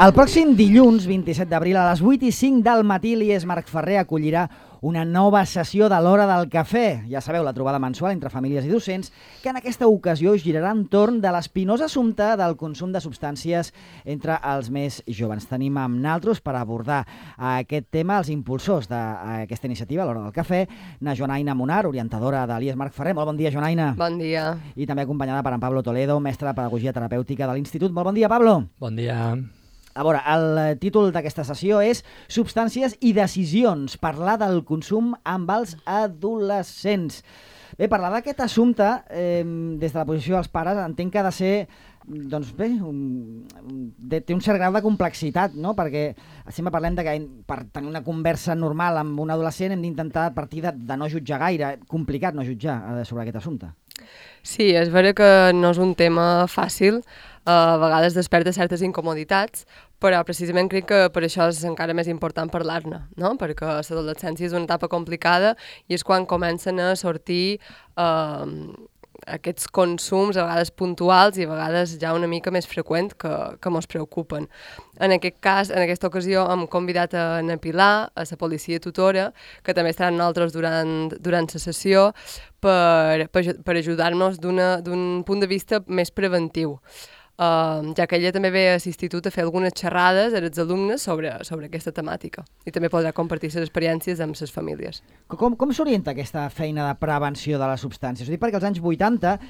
El pròxim dilluns, 27 d'abril, a les 8:05 del matí, l'IES Marc Ferrer acollirà una nova sessió de l'Hora del Cafè. Ja sabeu, la trobada mensual entre famílies i docents, que en aquesta ocasió girarà entorn de l'espinós assumpte del consum de substàncies entre els més joves. Tenim amb naltros per abordar aquest tema els impulsors d'aquesta iniciativa, l'Hora del Cafè, na Joanaina Munar, orientadora de l'IES Marc Ferrer. Molt bon dia, Joanaina. Bon dia. I també acompanyada per en Pablo Toledo, mestre de Pedagogia Terapèutica de l'Institut. Molt bon dia, Pablo. Bon dia. A veure, el títol d'aquesta sessió és Substàncies i decisions, parlar del consum amb els adolescents. Bé, parlar d'aquest assumpte, des de la posició dels pares, entenc que ha de ser, doncs bé, té un cert grau de complexitat, no? Perquè sempre parlem de que per tenir una conversa normal amb un adolescent hem d'intentar partir de no jutjar gaire. Complicat no jutjar sobre aquest assumpte. Sí, és vera que no és un tema fàcil, a vegades desperta certes incomoditats, però precisament crec que per això és encara més important parlar-ne, no? Perquè l'adolescència és una etapa complicada i és quan comencen a sortir aquests consums, a vegades puntuals i a vegades ja una mica més freqüents que ens preocupen. En aquest cas, en aquesta ocasió, hem convidat a na Pilar, a la policia tutora, que també estarà amb nosaltres durant la sessió, per ajudar-nos d'un punt de vista més preventiu. Ja que ella també ve a l'institut a fer algunes xerrades als alumnes sobre aquesta temàtica i també podrà compartir les experiències amb les famílies. Com s'orienta aquesta feina de prevenció de les substàncies? Ho dic perquè als anys 80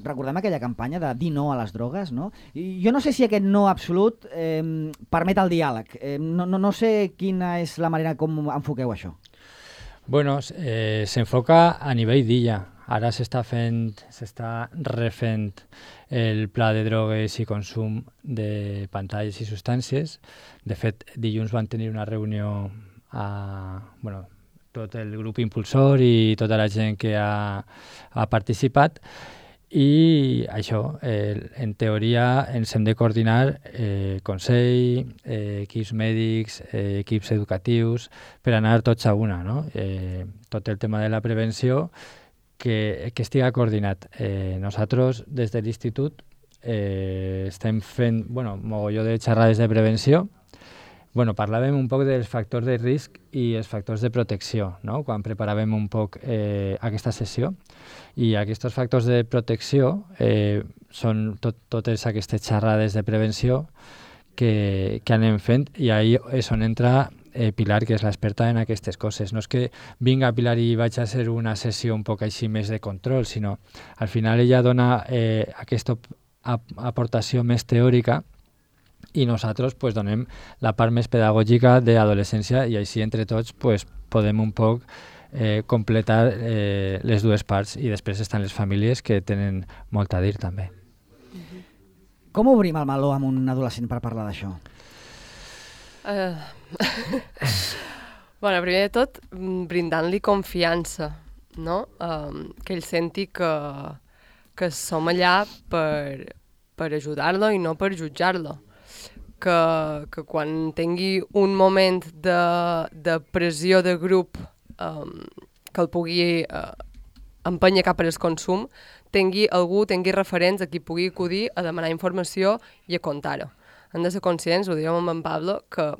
recordem aquella campanya de dir no a les drogues, no? I jo no sé si aquest no absolut permet el diàleg. No sé quina és la manera com enfoqueu això. Bueno, s'enfoca a nivell d'illa. Ara s'està refent el pla de drogues i consum de pantalles i substàncies. De fet, dilluns van tenir una reunió tot el grup impulsor i tota la gent que ha participat i això, en teoria ens hem de coordinar consell, equips mèdics, equips educatius per anar tots a una, no? Tot el tema de la prevenció que estiga coordinat. Nosaltres, des de l'Institut, estem fent mogolló de xerrades de prevenció. Parlàvem un poc dels factors de risc i els factors de protecció, no? Quan preparàvem un poc aquesta sessió. I aquests factors de protecció són totes aquestes xerrades de prevenció que anem fent i ahí és on entra Pilar, que és l'experta en aquestes coses. No és que vinga Pilar i vaig a ser una sessió un poc així més de control, sinó al final ella dona aquesta aportació més teòrica i nosaltres donem la part més pedagògica d'adolescència i així entre tots podem un poc completar les dues parts i després estan les famílies que tenen molt a dir també. Com obrim el meló amb un adolescent per parlar d'això? Primer de tot, brindant-li confiança, no? Que ell senti que som allà per ajudar-lo i no per jutjar-lo. Que quan tingui un moment de pressió de grup que el pugui empènyer cap al consum, tingui referents a qui pugui acudir a demanar informació i a contar-ho. Hem de ser conscients, ho dèiem amb en Pablo, que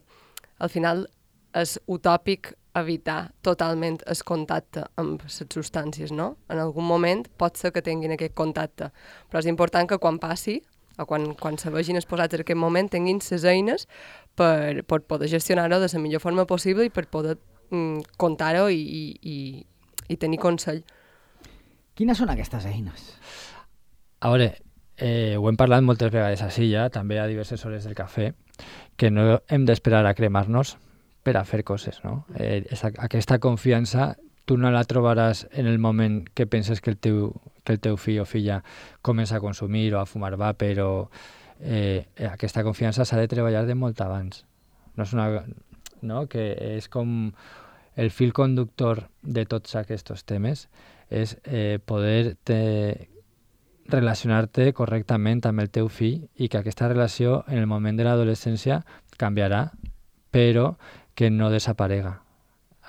al final és utòpic evitar totalment el contacte amb les substàncies, no? En algun moment pot ser que tinguin aquest contacte, però és important que quan passi, o quan se vegin exposats en aquest moment, tinguin les eines per poder gestionar-ho de la millor forma possible i per poder contar-ho i tenir consell. Quines són aquestes eines? A veure, ho hem parlat moltes vegades així ja, també a diverses hores del cafè, que no hem d'esperar a cremar-nos per a fer coses, no? Aquesta confiança tu no la trobaràs en el moment que penses que el teu fill o filla comença a consumir o a fumar vape, però aquesta confiança s'ha de treballar de molt abans. No és no? Que és com el fil conductor de tots aquests temes, és poder relacionar-te correctament amb el teu fill i que aquesta relació en el moment de l'adolescència canviarà, però que no desaparega.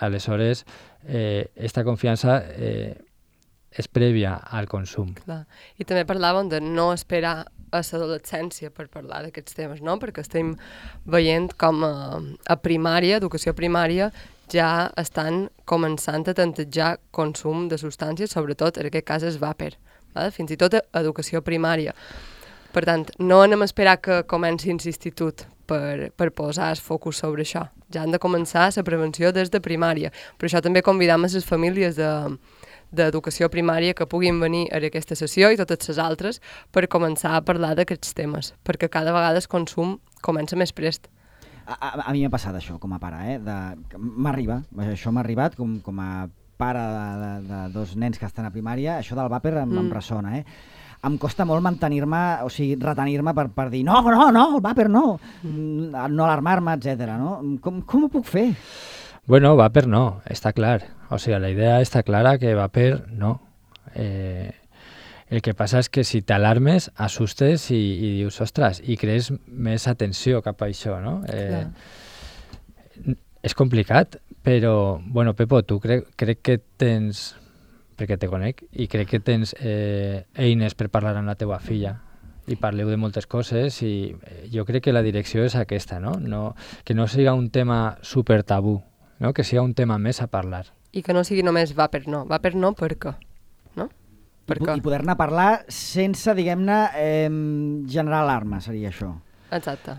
Aleshores, aquesta confiança és prèvia al consum. Clar. I també parlàvem de no esperar a l'adolescència per parlar d'aquests temes, no? Perquè estem veient com a primària, educació primària, ja estan començant a tantejar consum de substàncies, sobretot en aquest cas és vàper, fins i tot a educació primària. Per tant, no anem a esperar que comenci l'institut per posar el focus sobre això. Ja han de començar la prevenció des de primària. Per això també convidam a les famílies d'educació primària que puguin venir a aquesta sessió i totes les altres per començar a parlar d'aquests temes, perquè cada vegada el consum comença més prest. A mi m'ha passat això com a pare, això m'ha arribat com a pare de dos nens que estan a primària, això del vàper em ressona, Em costa molt mantenir-me, o sigui, retenir-me per dir no, el vàper no alarmar-me, etc. No? Com ho puc fer? Bueno, vàper no, està clar. O sigui, la idea està clara que vàper no. El que passa és que si t'alarmes, assustes i dius, ostres, i crees més atenció cap a això, no? És complicat, però, bueno, Pepo, tu crec que tens, perquè te conec, i crec que tens eines per parlar amb la teva filla i parleu de moltes coses i jo crec que la direcció és aquesta, no? Que no siga un tema super tabú, no? Que siga un tema més a parlar. I que no sigui només vàper no per què, no? I poder-ne parlar sense, diguem-ne, generar alarma, seria això. Exacte.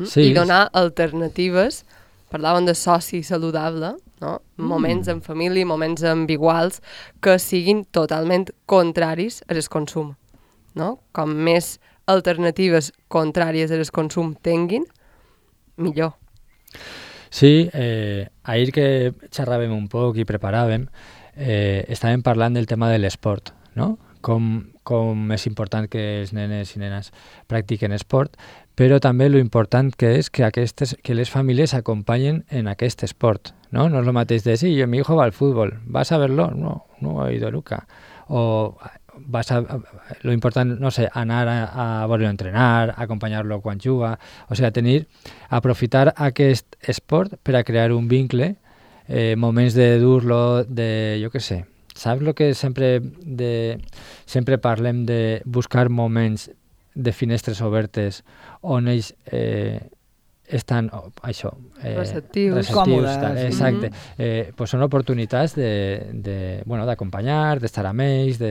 Sí. I donar alternatives. Parlàvem de soci saludable, no? Moments en família, moments amb iguals, que siguin totalment contraris al consum, no? Com més alternatives contràries al consum tinguin, millor. Sí, ahir que xerràvem un poc i preparàvem, estàvem parlant del tema de l'esport, no? Com és important que els nenes i nenes practiquen esport, però també lo important que és que les famílies acompanyen en aquest esport, ¿no? No és el mateix de, sí, mi hijo va al fútbol, ¿vas a verlo? No he ido nunca. O lo important, no sé, anar a veure-lo entrenar, acompanyar-lo quan juga, o sigui, aprofitar aquest esport per a crear un vincle, moments de dur-lo, jo què sé. Saps el que sempre parlem de buscar moments de finestres obertes on ells estan receptius, còmodes. Exacte. Pues són oportunitats d'acompanyar, d'estar amb ells,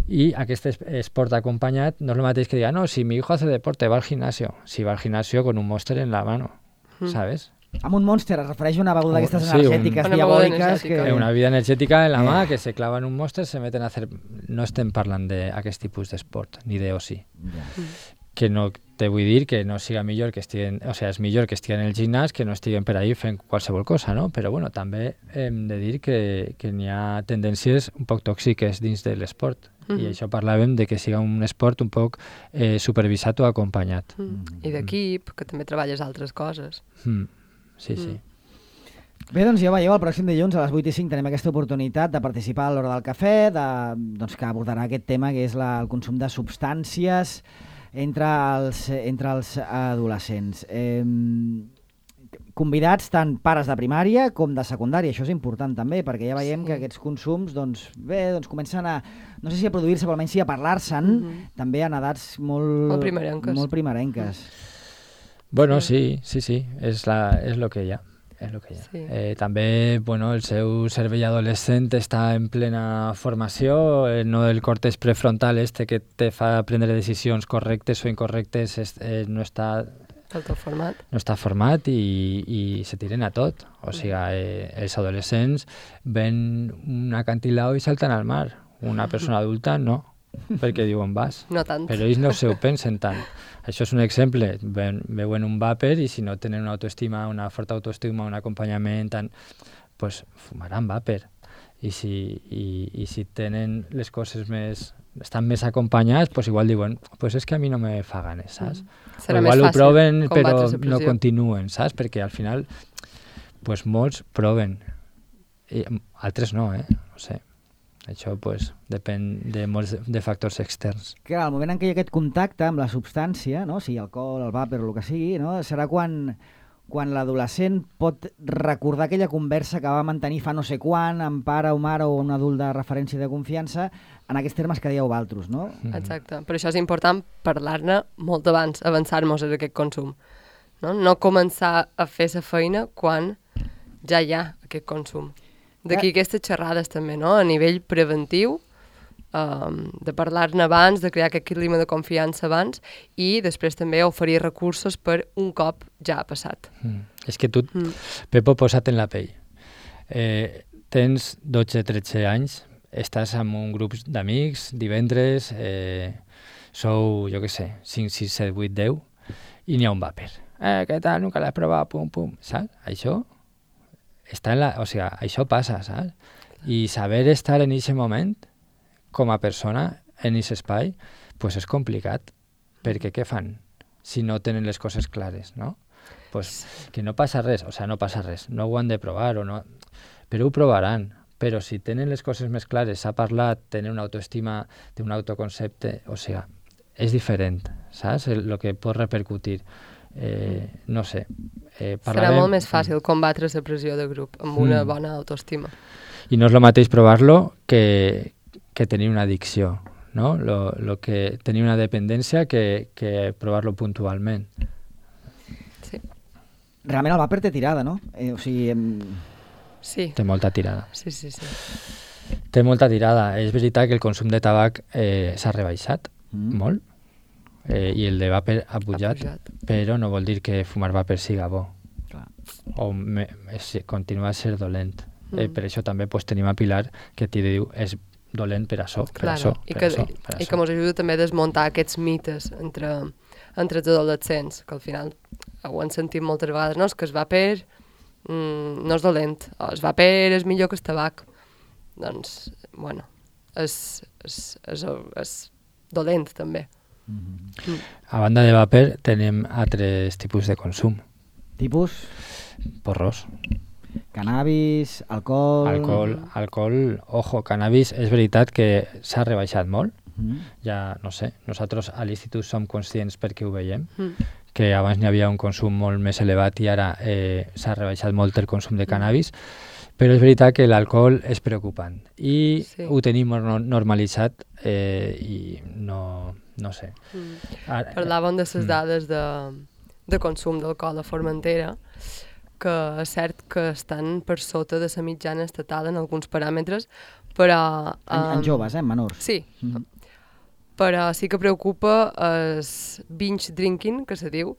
i aquest esport acompanyat no és el mateix que diga, no, si mi hijo hace deporte, va al gimnasio. Si va al gimnasio con un Monster en la mano, ¿sabes? Amb un Monster es refereix a una beguda d'aquestes energètiques diabòliques. Una bebida energètica en la mà que se clava en un Monster, se meten a hacer... No estem parlant d'aquest tipus d'esport, ni d'oci. Que no te vull dir que no siga millor que estiguen... O sigui, és millor que estiguen en el gimnàs que no estiguen per ahí fent qualsevol cosa, no? Però, bueno, també hem de dir que n'hi ha tendències un poc tòxiques dins de l'esport. I això parlàvem de que siga un esport un poc supervisat o acompanyat. I d'equip, que també treballes altres coses. Sí. Bé, doncs ja veieu, el pròxim dilluns a les 8:05 tenim aquesta oportunitat de participar a l'Hora del Cafè, que abordarà aquest tema que és el consum de substàncies entre els adolescents. Convidats tant pares de primària com de secundària, això és important també, perquè ja veiem que aquests consums comencen a, no sé si a produir-se, però almenys sí a parlar-se'n, també en edats molt primerenques. Bueno, sí, és lo que hi ha. Sí. També, el seu cervell adolescent està en plena formació, no el còrtex prefrontal que te fa prendre decisions correctes o incorrectes no està format i se tiren a tot. O sigui, els adolescents ven un acantilado i salten al mar. Una persona adulta no, perquè diuen vas. No tant. Però ells no ho pensen tant. Això és un exemple. Veuen un vàper i si no tenen una forta autoestima, un acompanyament, pues fumaran vàper. I si tenen les coses estan més acompanyats, pues igual diuen, pues és que a mi no me fa ganes, saps? Serà igual més ho proven però no continuen, saps? Perquè al final pues molts proven i altres no, no sé. Això depèn de factors externs. Clar, al moment en què hi ha aquest contacte amb la substància, no? Sigui alcohol, el vàper o el que sigui, no? Serà quan quan l'adolescent pot recordar aquella conversa que va mantenir fa no sé quan amb pare o mare o un adult de referència de confiança en aquests termes que dieu vosaltres, no? Exacte. Per això és important parlar-ne molt abans, avançar-nos en aquest consum. No començar a fer la feina quan ja hi ha aquest consum. D'aquí aquestes xerrades també, no? A nivell preventiu, de parlar-ne abans, de crear aquest clima de confiança abans i després també oferir recursos per un cop ja ha passat. És que tu, Pepo, posa't en la pell. Tens 12-13 anys, estàs amb un grup d'amics, divendres, sou, jo què sé, 5, 6, 7, 8, 10, i n'hi ha un vàper. Què tal? Nunca l'has provat, pum, pum. Saps? Això està això passa, saps? I saber estar en aquest moment, com a persona, en aquest espai, pues és complicat, perquè què fan si no tenen les coses clares, no? Pues que no passa res, no passa res, no ho han de provar, però ho provaran. Però si tenen les coses més clares, s'ha parlat, tenen una autoestima, té un autoconcepte, és diferent, saps? El que pot repercutir. No sé. Serà molt més fàcil combatre la pressió de grup amb una bona autoestima. I no és el mateix provar-lo que tenir una addicció, no? Lo que tenir una dependència que provar-lo puntualment. Sí. Realment el vàper té tirada, no? Sí. Té molta tirada. Sí. Té molta tirada. És veritat que el consum de tabac s'ha rebaixat molt i el de vàper ha pujat, però no vol dir que fumar vàper siga bo. Clar. O continua a ser dolent. Per això també tenim a Pilar que t'hi diu és dolent per això. I que ens ajuda també a desmuntar aquests mites entre els adolescents, que al final ho han sentit moltes vegades, no? És que el vàper no és dolent, o el vàper és millor que el tabac. Doncs, bueno, és dolent també. A banda de vàper tenim altres tipus de consum. Tipus? Porros. Cannabis, alcohol... Alcohol, ojo, cannabis és veritat que s'ha rebaixat molt. Ja, no sé, nosaltres a l'institut som conscients perquè ho veiem, que abans n'hi havia un consum molt més elevat i ara s'ha rebaixat molt el consum de cannabis, però és veritat que l'alcohol és preocupant i ho tenim normalitzat i no sé. Parlàvem de les dades de consum d'alcohol a Formentera, que és cert que estan per sota de la mitjana estatal en alguns paràmetres, però... En joves, menors. Sí, però sí que preocupa el binge drinking, que se diu,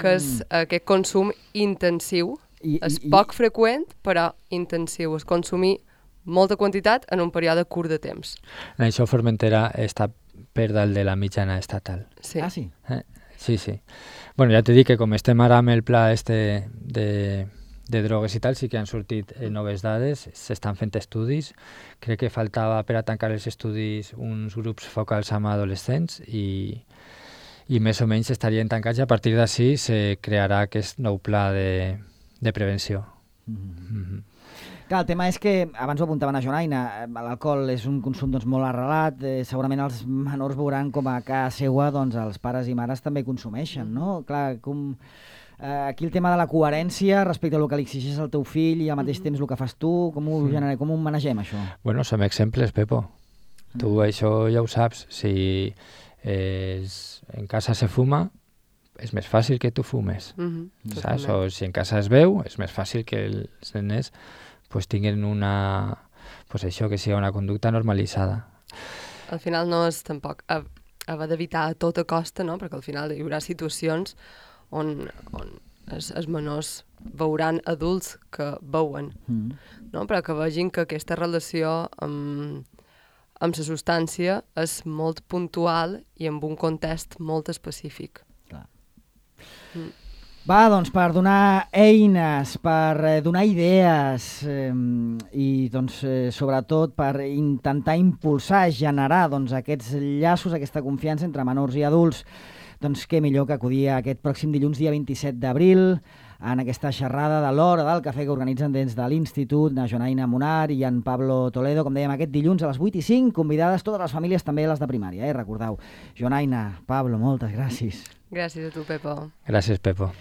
que és aquest consum intensiu. És poc freqüent, però intensiu. És consumir molta quantitat en un període curt de temps. En això Formentera està per dalt de la mitjana estatal. Sí. Ah, sí? Sí. Bueno, ja t'he dit que com estem ara amb el pla de drogues i tal, sí que han sortit noves dades, s'estan fent estudis. Crec que faltava per a tancar els estudis uns grups focals amb adolescents i més o menys estarien tancats i a partir d'ací se crearà aquest nou pla de prevenció. Clar, el tema és que, abans ho apuntaven a Jonaina, l'alcohol és un consum molt arrelat, segurament els menors veuran com a casa seva els pares i mares també consumeixen, no? Clar, aquí el tema de la coherència respecte al que li exigeix al teu fill i al mateix temps el que fas tu, com ho manegem, això? Bueno, som exemples, Pepo. Tu això ja ho saps. Si en casa se fuma, és més fàcil que tu fumes, saps? O si en casa es veu, és més fàcil que els nens tinguin que sigui una conducta normalitzada. Al final no és tampoc haver d'evitar a tota costa, no? Perquè al final hi haurà situacions on els menors veuran adults que veuen, no? Però que vegin que aquesta relació amb la substància és molt puntual i amb un context molt específic. Clar. Va, doncs, per donar eines, per donar idees i, doncs, sobretot per intentar impulsar, generar aquests llaços, aquesta confiança entre menors i adults, doncs què millor que acudir aquest pròxim dilluns, dia 27 d'abril, en aquesta xerrada de l'hora del cafè que organitzen des de l'Institut, na Jonaina Munar i en Pablo Toledo, com dèiem, aquest dilluns a les 8:05, convidades totes les famílies, també les de primària, recordeu. Jonaina, Pablo, moltes gràcies. Gràcies a tu, Pepo. Gràcies, Pepo.